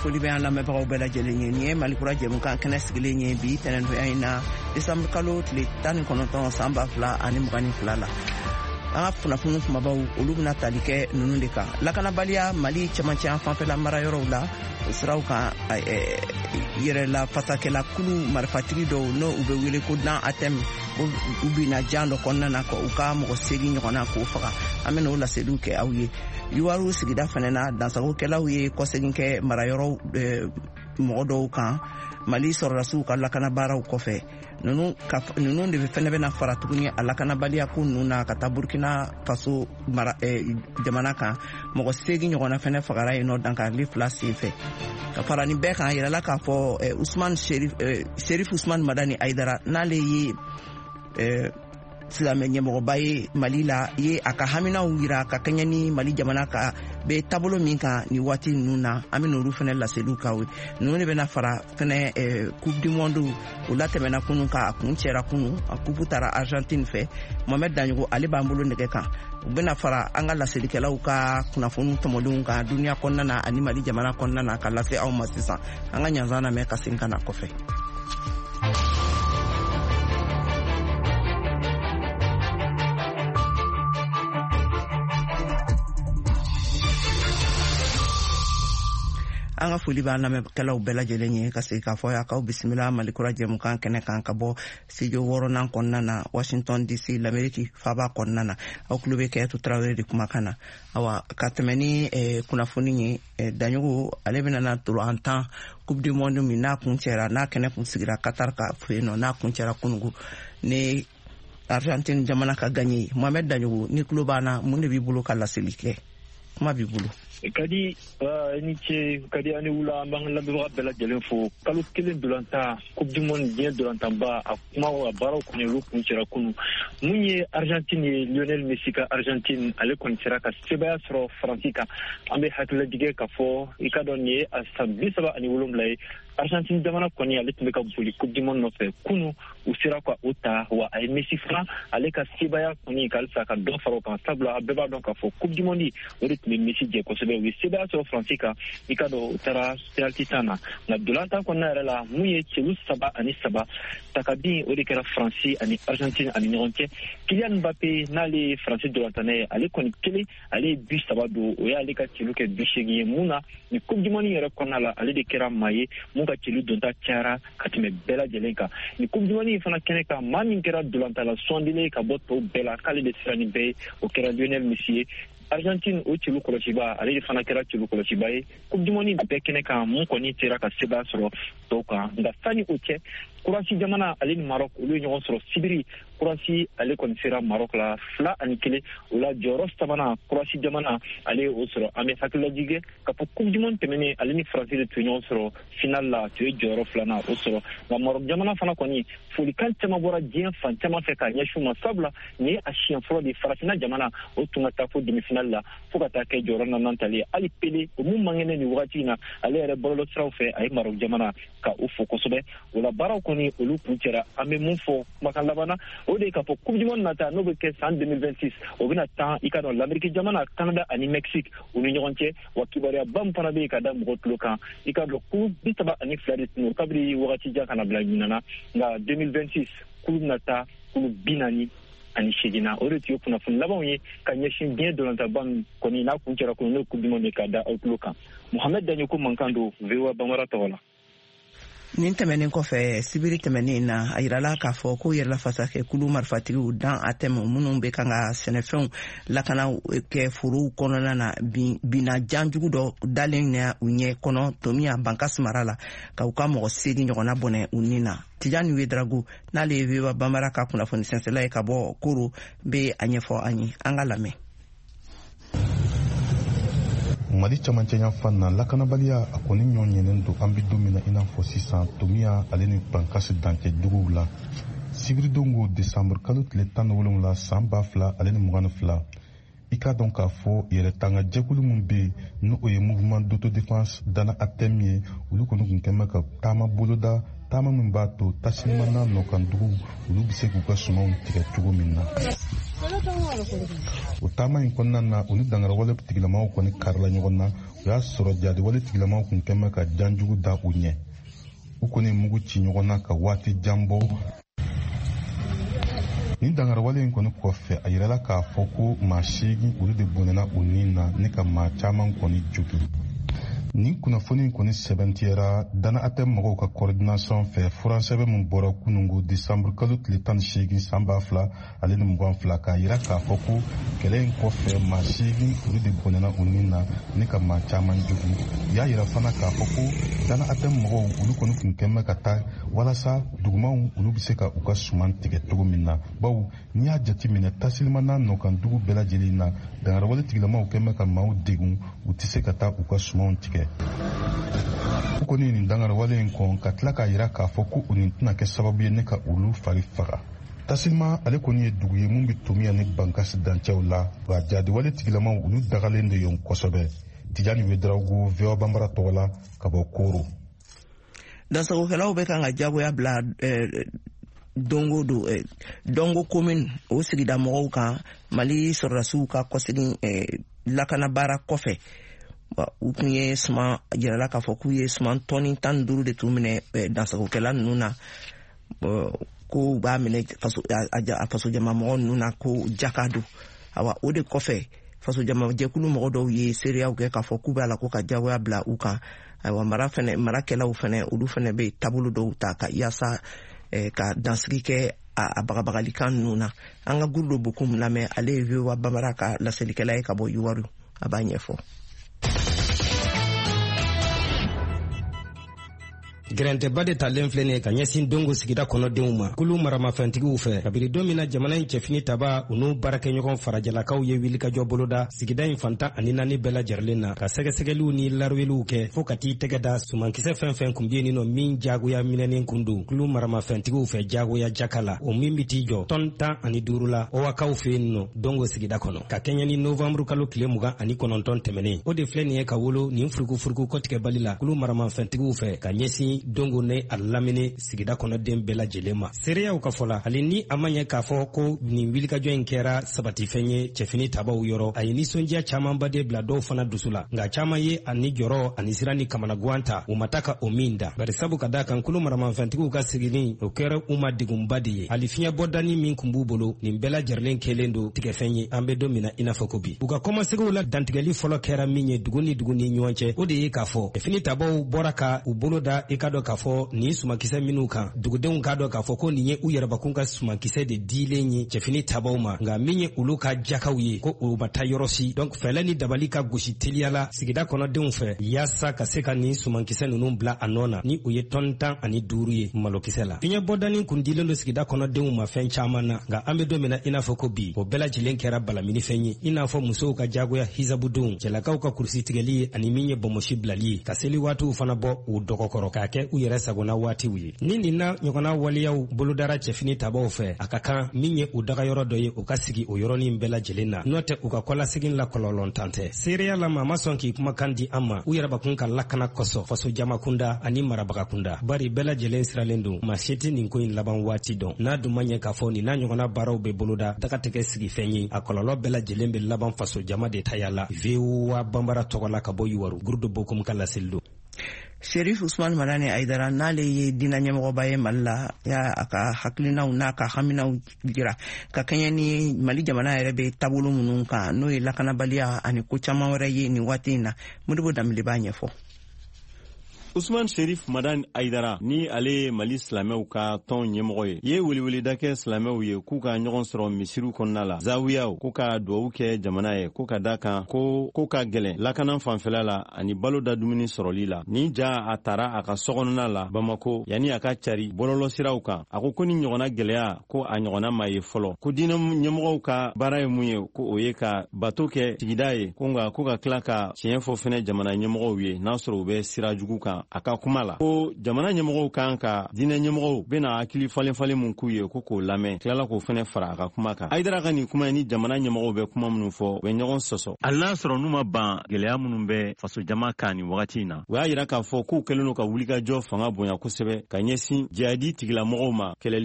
Foli bɛ an lamɛnbagaw bɛɛ lajɛlen ye. Nin ye Malikura jɛmukan kɛnɛ sigilen ye bi tɛnɛndonya in na, desanburu kalo tile 19, san 2022 la. An ka kunnafoni kumabaw, olu bɛna tali kɛ ninnu de kan: lakanabaliya Mali cɛmancɛ fanfɛla marayɔrɔw la, o siraw kan, yɛrɛla fasakɛla kulu marifatigi dɔw, n'o u bɛ wele ko Dan Atɛm, u binna jan dɔ kɔnɔna na ka u ka mɔgɔ 8 ɲɔgɔnna k'o faga. An bɛna o laseliw kɛ aw ye. Yuwaru sigida fɛnɛ na, dansagokɛlaw ye kɔsegin kɛ marayɔrɔ mɔgɔ dɔw kan Mali sɔrɔdasiw ka lakanabaaraw kɔfɛ. Ninnu de fɛnɛ bɛna fara tuguni a lakanabaliya ko ninnu na ka taa Burkina Faso mara jamana kan. Mɔgɔ 8 ɲɔgɔnna fɛnɛ fagara yen nɔ dankarili fila sen fɛ. Ka fara nin bɛɛ kan, a yirala k'a fɔ Usman Sherif, Sherif Usman Madani Aidara, n'ale ye silamɛ ɲɛmɔgɔba ye Mali la, ye a ka haminaw yira ka kɛɲɛ ni Mali jamana ka bɛ taabolo min kan nin waati ninnu na. An bɛ n'olu fɛnɛ laseliw k'aw ye. Ninnu de bɛna fara fɛnɛ Coupe du monde, o latɛmɛna kunun ka a kun cɛra kunun, a coupe taara Argentine fɛ. Mohamed Daɲogo, ale b'an bolo nɛgɛ kan. U bɛna fara an ka laselikɛlaw ka kunnafoniw tɔmɔlenw kan duniya kɔnɔna na ani Mali jamana kɔnɔna na ka lase aw ma sisan. An ka ɲanzan lamɛn ka segin ka na kɔfɛ. An ka foli b'an lamɛnkɛlaw bɛɛ lajɛlen ye, ka segin k'a fɔ y'a k'aw bisimila Malikura jɛmukan kɛnɛ kan ka bɔ studio wɔɔrɔnan kɔnɔna na, Washington DC, Lameriki faaba kɔnɔna na. Aw tulo bɛ Kɛyatu Tarawele de kumakan na. Awa, ka tɛmɛ ni kunnafoni ye, Daɲogo, ale bɛna na an tan Coupe du monde min n'a kun cɛra, n'a kɛnɛ kun sigira Qatar ka fɛ yen nɔ, n'a kun cɛra kunugu ni Argentine jamana ka gagné. Mohamed Daɲogo, ni tulo b'an na, mun de b'i bolo ka laseli kɛ? Kuma b'i bolo. Kadi, ni ce Kadi, ani wula. An b'an lamɛnbaga bɛɛ lajɛlen fo. Kalo kelen dolantan, Coupe du monde, diɲɛ dolantanba, a kuma a baaraw kɔni, olu kun cɛra kunu. Mun ye Argentine ye, Lionel Messi ka Argentine, ale kɔni sera ka sebaya sɔrɔ Faransi kan. An bɛ hakililajigɛ ka fɔ, i ka dɔn, nin ye a san 37 ye, Argentine jamana kɔni, ale tun bɛ ka boli Coupe du monde nɔfɛ. Kunu u sera ka o ta, wa a ye Messi fana, ale ka sebaya kɔni ka halisa ka dɔ fara o kan, sabula a bɛɛ b'a dɔn k'a fɔ Coupe du monde, o de tun bɛ Messi jɛ kosɛbɛ. U ye sebaya sɔrɔ Faransi kan, i ka dɔn, u taara penalty tan na. Nka dolantan kɔnɔna yɛrɛ la, mun ye celu 3-3 takabin, o de kɛra Faransi ani Argentine ani ɲɔgɔn cɛ. Kylian Mbappé, n'ale ye Faransi dolantanna ye, ale kɔni kelen, ale ye bi 3 don, o y'ale ka celu kɛ 80 ye. Mun na ni Coupe du monde yɛrɛ kɔnɔna la, ale de kɛra maa ye mun ka celu donta cayara ka tɛmɛ bɛɛ lajɛlen kan ni Coupe du monde fana kɛnɛ kan. Maa min kɛra dolantala sɔndilen ka bɔ tɔw bɛɛ la, k'ale de sera ni bɛɛ ye, o kɛra Lionel Messi ye. Argentine o celu kɔlɔsiba, ale de fana kɛra celu kɔlɔsiba ye Coupe du monde bɛɛ kɛnɛ kan, mun kɔni sera ka sebaya sɔrɔ tɔw kan. Nka sani o cɛ, Kurasi jamana, ale ni Maroc, olu ye ɲɔgɔn sɔrɔ sibiri. Kurasi, ale kɔni sera Maroc la 2-1. O la, jɔyɔrɔ sabanan, Kurasi jamana, ale ye o sɔrɔ. An bɛ hakililajigɛ ka fɔ Coupe du monde tɛmɛnen, ale ni Faransi de tun ye ɲɔgɔn sɔrɔ final la, tun ye jɔyɔrɔ filanan o sɔrɔ. Nka Maroc jamana fana kɔni, folikan caman bɔra diɲɛ fan caman fɛ k'a ɲɛsin u ma, sabula nin ye a siɲɛ fɔlɔ de farafinna jamana o tun ka taa fo demi finale la, fo ka taa kɛ jɔyɔrɔ naaninan tali ye. Hali Pele, o mun man kɛnɛ nin wagati in na, ale yɛrɛ bɔlɔlɔ siraw fɛ, a ye Maroc jamana ka o fo kosɛbɛ. O la, baaraw kɔni, olu kun cɛra. An bɛ mun fɔ kumakan laban na, o de ye k'a fɔ Coupe du monde nata, n'o bɛ kɛ san 2026, o bɛna tan, i ka dɔn, Lamɛriki jamana, Canada ani Mexique, u ni ɲɔgɔn cɛ. Wa kibaruyaba min fana bɛ yen ka da mɔgɔ tulo kan, i ka dɔn, kulu 32 de tun don kabiri wagati jan ka na bila ɲinan na, nka 2026 kulu bɛna taa kulu 48 na. O de tun ye kunnafoni labanw ye ka ɲɛsin diɲɛ dolantaba min kɔni n'a kun cɛra kɔnɔ, n'o ye Coupe du monde, ka da aw tulo kan. Mohamed Daɲoko mankan don, VOA Bambara tɔgɔ la. Nin tɛmɛnen kɔfɛ, sibiri tɛmɛnen na, a yirala k'a fɔ ko yɛrɛlafasakɛ kulu marifatigiw Dan Atɛm, minnu bɛ kan ka sɛnɛfɛnw lakana kɛ forow kɔnɔna na, binna janjugu dɔ dalen na u ɲɛ kɔnɔ Tomiya Bankas mara la, ka u ka mɔgɔ 8 ɲɔgɔnna bɔnɛ u ni na. Tijani Wedrago, n'ale ye VOA Bambara ka kunnafoni sɛnsɛla ye ka bɔ Koro, bɛ a ɲɛfɔ an ye. An ka lamɛn. Mali camancɛ yanfan na, lakanabaliya a kɔni ɲɔ ɲɛnen don. An be don min na i n'a fɔ sisan, Tomiya ale ni Bankasi dancɛ duguw la, sibiridon ko desanburu kalo tile 17 san 2022, i k'a dɔn k'a fɔ yɛrɛtanga jɛkulu min bɛ yen, n'o ye Mouvement d'autodéfense Dana Atem ye, olu kɔni kun kɛn bɛ ka taama boloda. Taama min b'a to Tasilima n'a nɔkanduguw olu bɛ se k'u ka sumanw tigɛ cogo min na. O taama in kɔnɔna na, u ni dangarawale tigilamaw kɔni karila ɲɔgɔn na. O y'a sɔrɔ jadiwale tigilamaw kun kɛn bɛ ka janjugu da u ɲɛ. U kɔni ye mugu ci ɲɔgɔn na ka waati jan bɔ. Nin dangarawale in kɔni kɔfɛ, a yirala k'a fɔ ko maa 8 olu de bɔnɛna u ni na ni ka maa caman kɔni jogin. Nin kunnafoni in kɔni sɛbɛntiyara Dana Atɛm mɔgɔw ka coordination fɛ, furansɛbɛn min bɔra kunungo desanburu kalo tile 18 san 2022, k'a yira k'a fɔ ko kɛlɛ in kɔfɛ, maa 8 olu de bɔnɛna u ni na ni ka maa caman jogin. U y'a yira fana k'a fɔ ko Dana Atɛm mɔgɔw olu kɔni kun kɛn bɛ ka taa walasa dugumaw olu bɛ se ka u ka suman tigɛ cogo min na, bawo n'i y'a jateminɛ, Tasilima n'a nɔkan dugu bɛɛ lajɛlen na, dangarawale tigilamaw kɛn bɛ ka maaw degun, u tɛ se ka taa u ka sumanw tigɛ. U kɔni ye nin dangarawale in kɔn ka tila k'a yira k'a fɔ ko u nin tɛna kɛ sababu ye ne ka olu fari faga. Tasilima ale kɔni ye dugu ye mun bɛ Tomiya ni Bankasi dancɛw la, wa jadiwale tigilamaw olu dagalen de yen kosɛbɛ. Tijani Wedarawogo, VOA Banbara tɔgɔ la, ka bɔ Koro. Dansagokɛlaw bɛ kan ka jagoya bila Dongo don Dongo commune o sigida mɔgɔw kan, Mali sɔrɔdasiw ka kɔsegin lakana baara kɔfɛ. U tun ye suman jirala k'a fɔ k'u ye suman tɔni 15 de tun minɛ dansagokɛla ninnu na, ko u b'a minɛ a fasojama mɔgɔ ninnu na ko jaka don. Awa, o de kɔfɛ, fasojama jɛkulu mɔgɔ dɔw ye seereyaw kɛ k'a fɔ k'u b'a la ko ka jagoya bila u kan. Ayiwa, mara fɛnɛ, marakɛlaw fɛnɛ, olu fɛnɛ bɛ taabolo dɔw ta ka yaasa ka dansigi kɛ a bagabagalikan ninnu na. An ka Gurudo Bokum lamɛn, ale ye VOA Bambara ka laselikɛla ye ka bɔ Yuwaru, a b'a ɲɛfɔ. Gɛrɛntɛba de talen filɛ nin ye ka ɲɛsin Dongo sigida kɔnɔdenw ma kulu maramafɛntigiw fɛ, kabiri don min na jamana in cɛfini taba, u n'u baarakɛɲɔgɔn farajɛlakaw ye wulikajɔ boloda sigida in fan 14 bɛɛ lajɛrɛlen na, ka sɛgɛsɛgɛliw ni laraweliw kɛ fɔɔ ka t'i tɛgɛ da sumankisɛ fɛn fɛn kun bɛ yen nɔ min jagoya minɛnen kun don kulu maramafɛntigiw fɛ jagoya jaka la, o min bɛ t'i jɔ tɔn 15 la Owakaw fɛ yen nɔ Dongo sigida kɔnɔ, ka kɛɲɛ ni novanburu kalo tile 29 tɛmɛnen. O de filɛ nin ye ka wolo nin furukufuruku kɔtigɛbali la kulu maramafɛntigiw fɛ ka ɲɛsin Dongo ne a lamini sigida kɔnɔden bɛɛ lajɛlen ma. Seereyaw ka fɔ la, hali ni a ma ɲɛ k'a fɔ ko nin wulikajɔ in kɛra sabatifɛn ye cɛfini tabaw yɔrɔ, a ye nisɔndiya camanba de bila dɔw fana dusu la, nka caman ye a ni jɔrɔ ani siran ni kamanaguwan ta, u ma taa ka o min da, bari sabu ka da kan kulu maramafɛntigiw ka sigini o kɛra u ma degunba de ye. Hali fiɲɛbɔdani min kun b'u bolo, nin bɛɛ lajɛrɛlen kɛlen don tigɛfɛn ye an bɛ don min na i n'a fɔ ko bi. U ka kɔmasegiw la, dantigɛli fɔlɔ kɛra min ye dugu ni dugu ni ɲɔgɔn cɛ, o de ye k'a fɔ cɛfini tabaw bɔra ka u bolo da i ka dɔn k'a fɔ nin sumankisɛ minnu kan, dugudenw k'a dɔn k'a fɔ ko nin ye u yɛrɛbakun ka sumankisɛ de dilen ye cɛfini tabaw ma, nka min ye olu ka jakaw ye, ko o ma taa yɔrɔ si. Donc fɛɛlɛ ni dabali ka gosi teliya la sigida kɔnɔdenw fɛ yaasa ka se ka nin sumankisɛ ninnu bila a nɔ na, ni o ye tɔni 15 ye malokisɛ la. Fiɲɛ bɔdani kun dilen don sigida kɔnɔdenw ma fɛn caman na, nka an bɛ don min na i n'a fɔ ko bi, o bɛɛ lajɛlen kɛra balaminifɛn ye, i n'a fɔ musow ka jagoya hijabudenw, cɛlakaw ka kurusi tigɛli ye, ani min ye bɔnmɔsi bilali ye, ka seli waatiw fana bɔ u dɔgɔkɔrɔ k'a kɛ u yɛrɛ sagona waatiw ye. Ni nin na ɲɔgɔnna waleyaw bolodara cɛfini tabaw fɛ, a ka kan min ye u dagayɔrɔ dɔ ye, u ka sigi o yɔrɔnin bɛɛ lajɛlen na, n'o tɛ u ka kɔlasegin la kɔlɔlɔntan tɛ. Seereya la, maa ma sɔn k'i kumakan di an ma u yɛrɛbakun ka lakana kosɔn, faso jama kunda ani marabaga kunda, bari bɛɛ lajɛlen siralen don, maa si tɛ nin ko in laban waati dɔn. N'a dun ma ɲɛ k'a fɔ nin n'a ɲɔgɔnna baaraw bɛ boloda daga tigɛ sigifɛn ye, a kɔlɔlɔ bɛɛ lajɛlen bɛ laban faso jama de taya la. VOA Banbara tɔgɔ la ka bɔ Yuwaru, Gurudo Bokum ka laseli don. Sherif Usman Madani Aidara, n'ale ye diinɛ ɲɛmɔgɔba ye Mali la, y'a a ka hakilinaw n'a ka haminaw jira ka kɛɲɛ ni Mali jamana yɛrɛ bɛ taabolo minnu kan, n'o ye lakanabaliya ani ko caman wɛrɛ ye nin waati in na. Modibo Danbele b'a ɲɛfɔ. Usman Sherif Madani Aidara, ni ale ye Mali silamɛw ka tɔn ɲɛmɔgɔ ye, ye weleweleda kɛ silamɛw ye k'u ka ɲɔgɔn sɔrɔ misiriw kɔnɔna la, zawiyaw, ko ka duwawu kɛ jamana ye, ko ka da kan ko ko ka gɛlɛn lakana fanfɛla la ani balo da dumuni sɔrɔli la. Ni ja a tara a ka sokɔnɔna la Bamako yanni a ka cari bɔlɔlɔsiraw kan, a ko ko ni ɲɔgɔnna gɛlɛya, ko a ɲɔgɔnna ma ye fɔlɔ, ko diinɛ ɲɛmɔgɔw ka baara ye mun ye, ko o ye ka bato kɛ sigida ye, ko nka ko ka tila ka tiɲɛ fɔ fɛnɛ jamana ɲɛmɔgɔw ye n'a sɔrɔ u bɛ sira jugu kan. ma a ka kuma la ko jamana ɲɛmɔgɔw kan ka diinɛ ɲɛmɔgɔw bena hakili falen falen mun k'u ye, ko k'o lamɛn, tilala k'o fɛnɛ fara a ka kuma kan. Hayidara ka nin kuma ni jamana ɲɛmɔgɔw bɛ kuma minnu fɔ, u bɛ ɲɔgɔn sɔsɔ, hali n'a sɔrɔ n'u ma ban gwɛlɛya minnu bɛ fasojama kan nin wagati in na. U y'a yira k'a fɔ k'u kɛlen don ka wulikajɔ fanga bonya kosɛbɛ ka ɲɛsin jihadi tigilamɔgɔw ma kɛlɛli.